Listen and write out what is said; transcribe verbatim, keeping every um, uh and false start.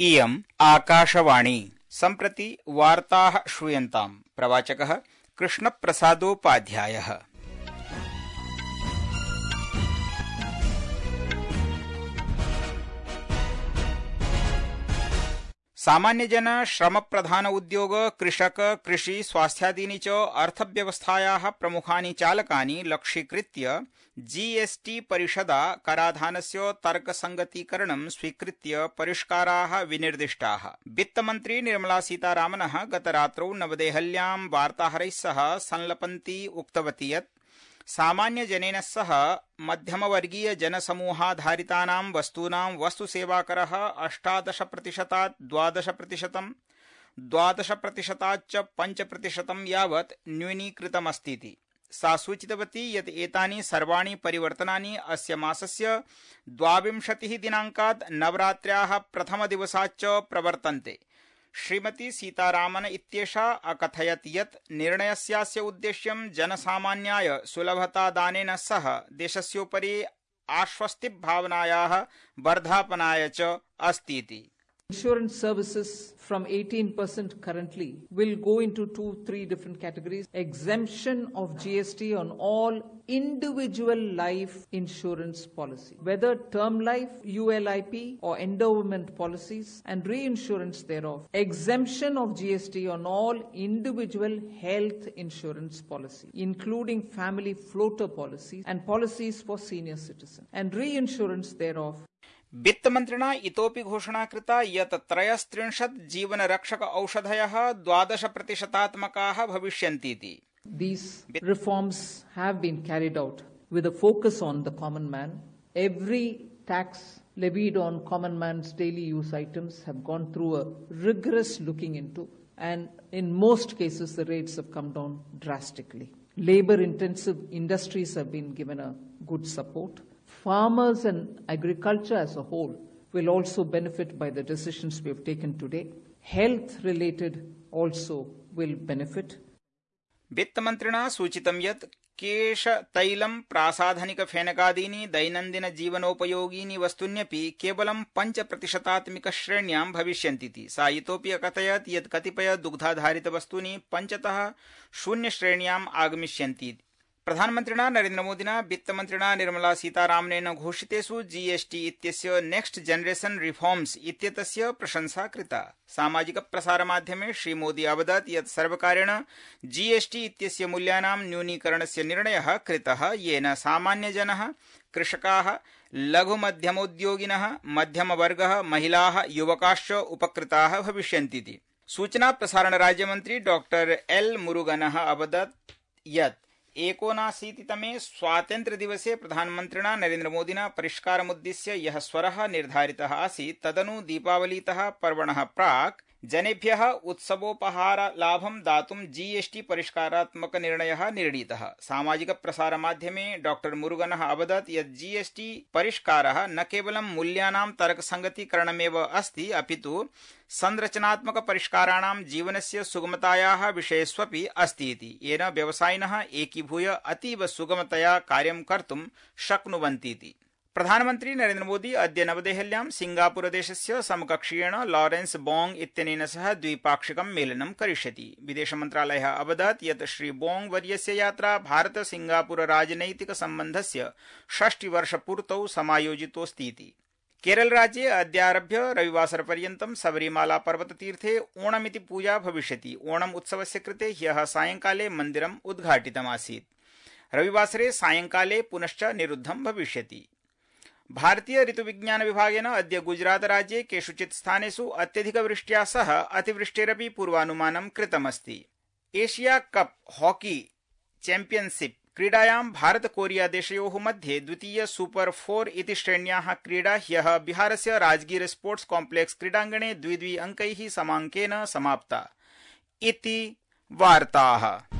इयम् आकाशवाणी। सम्प्रति वार्ताः श्रूयन्ताम्। प्रवाचकः कृष्णप्रसादोपाध्यायः। सामान्यजन, श्रमप्रधान उद्योग, कृषक, कृषि, स्वास्थ्यादीनि च अर्थव्यवस्थायाः प्रमुखानि चालकानि लक्ष्यीकृत्य जीएसटी परिषदा कराधानस्य तर्कसंगतीकरणं स्वीकृत्य परिष्काराः विनिर्दिष्टाः। वित्तमन्त्री निर्मला सीतारामनः गतरात्रौ नवदेहल्यां वार्ताहरैः सह संलपन्ती उक्तवती यत् सामान्यजनेन सह मध्यमवर्गीय जनसमूहाधारितानां वस्तूनां वस्तुसेवाकरः अष्टादश प्रतिशतात् द्वादश प्रतिशतं द्वादश प्रतिशताच्च पञ्च प्रतिशतं यावत् न्यूनीकृतमस्तीति। सा सूचितवती यत् एतानि सर्वाणि परिवर्तनानि अस्य मासस्य द्वाविंशतिः दिनाङ्कात् नवरात्र्याः प्रथमदिवसाच्च प्रवर्तन्ते। श्रीमती सीतारामन इत्येषा अकथयत् यत् निर्णयस्यास्य उद्देश्यं जनसामान्याय सुलभतादानेन सह देशस्योपरि आश्वस्तिभावनायाः वर्धापनाय च अस्तीति। Insurance services from eighteen percent currently will go into two, three different categories. Exemption of G S T on all individual life insurance policy, whether term life, U L I P or endowment policies and reinsurance thereof. Exemption of G S T on all individual health insurance policy, including family floater policies and policies for senior citizens, and reinsurance thereof. वित्तमन्त्रिणा इतोपि घोषणा कृता यत् त्रयस्त्रिंशत् जीवनरक्षक औषधयः द्वादश प्रतिशतात्मकाः भविष्यन्तीति। These reforms have been carried out with a focus on the common man. Every tax levied on common man's daily use items have gone through a rigorous looking into, and in most cases the rates have come down drastically. Labor intensive industries have been given a good support. Farmers and agriculture as a whole will also benefit by the decisions we have taken today. Health related also will benefit. वित्तमन्त्रिणा सूचितं यत् केश, तैलं, प्रासाधनिक फेनकादीनि दैनन्दिन जीवनोपयोगीनि वस्तून्यपि केवलं पञ्च प्रतिशतात्मिक श्रेण्यां भविष्यन्तीति। सा इतोपि अकथयत् यत् कतिपय दुग्धाधारित वस्तूनि पञ्चतः शून्य श्रेण्याम् आगमिष्यन्ति। प्रधानमन्त्रिणा नरेन्द्रमोदिना वित्तमन्त्रिणा निर्मला सीतारामनेन घोषितेषु जीएसटी इत्यस्य नेक्स्ट जनरेशन रिफॉर्म्स इत्येतस्य प्रशंसा कृता। सामाजिक प्रसारमाध्यमे श्रीमोदी अवदत् यत् सर्वकारेण जीएसटी इत्यस्य मूल्यानां न्यूनीकरणस्य निर्णयः कृतः, येन सामान्यजनः, कृषकाः, लघुमध्यमोद्योगिनः, मध्यमवर्गः, महिलाः, युवकाश्च उपकृताः भविष्यन्तीति। सूचना प्रसारण राज्यमन्त्री डॉक्टर एल मुरुगनः अवदत् यत् एकोनाशीतितमे स्वातन्त्र्यदिवसे प्रधानमन्त्रिणा नरेन्द्रमोदिना परिष्कारमुद्दिश्य यः स्वरः निर्धारितः आसीत्, तदनु दीपावलीतः पर्वणः प्राक् जनेभ्यः उत्सवोपहारलाभं दातुं जीएसटी परिष्कारात्मक निर्णयः निर्णीतः। सामाजिक प्रसारमाध्यमे डॉक्टर मुरुगनः अवदत् यत् जीएसटी परिष्कारः न केवलं मूल्यानां तर्कसंगतीकरणमेव अस्ति, अपितु संरचनात्मक परिष्काराणां जीवनस्य सुगमतायाः विषयेष्वपि अस्ति इति, येन व्यवसायिनः एकीभूय अतीव सुगमतया कार्यं कर्तुं शक्नुवन्तीति। प्रधानमन्त्री नरेन्द्र मोदी अद्य नवदेहल्यां सिंगापुरदेशस्य समकक्षीयेण लॉरेंस बोंग इत्यनेन सह द्विपाक्षिकं मेलनं करिष्यति। विदेशमन्त्रालयः अवदत् यत् श्री बोंग वर्यस्य यात्रा भारत सिंगापुर राजनैतिक सम्बन्धस्य षष्टिवर्षपूर्तौ समायोजितोऽस्ति इति। केरलराज्ये अद्यारभ्य रविवासरपर्यन्तं सबरीमाला पर्वततीर्थे ओणमिति पूजा भविष्यति। ओणम् उत्सवस्य कृते ह्यः सायंकाले मन्दिरम् उद्घाटितमासीत्। रविवासरे सायंकाले पुनश्च निरुद्धं भविष्यति। भारतीय ऋतुविज्ञान विभागेन अद्य गुजरात राज्ये केषुचित् स्थानेषु अत्यधिकवृष्ट्या सह अतिवृष्टेरपि पूर्वानुमानं कृतमस्ति। एशिया कप हॉकी चैम्पियनशिप क्रीडायां भारत कोरिया देशयोः मध्ये द्वितीय सुपर फोर इति श्रेण्याः क्रीडा ह्यः बिहारस्य राजगीर स्पोर्ट्स कॉम्प्लेक्स क्रीडाङ्गणे द्वि द्वि अंकैः समाङ्केन समाप्ता। इति वार्ताः।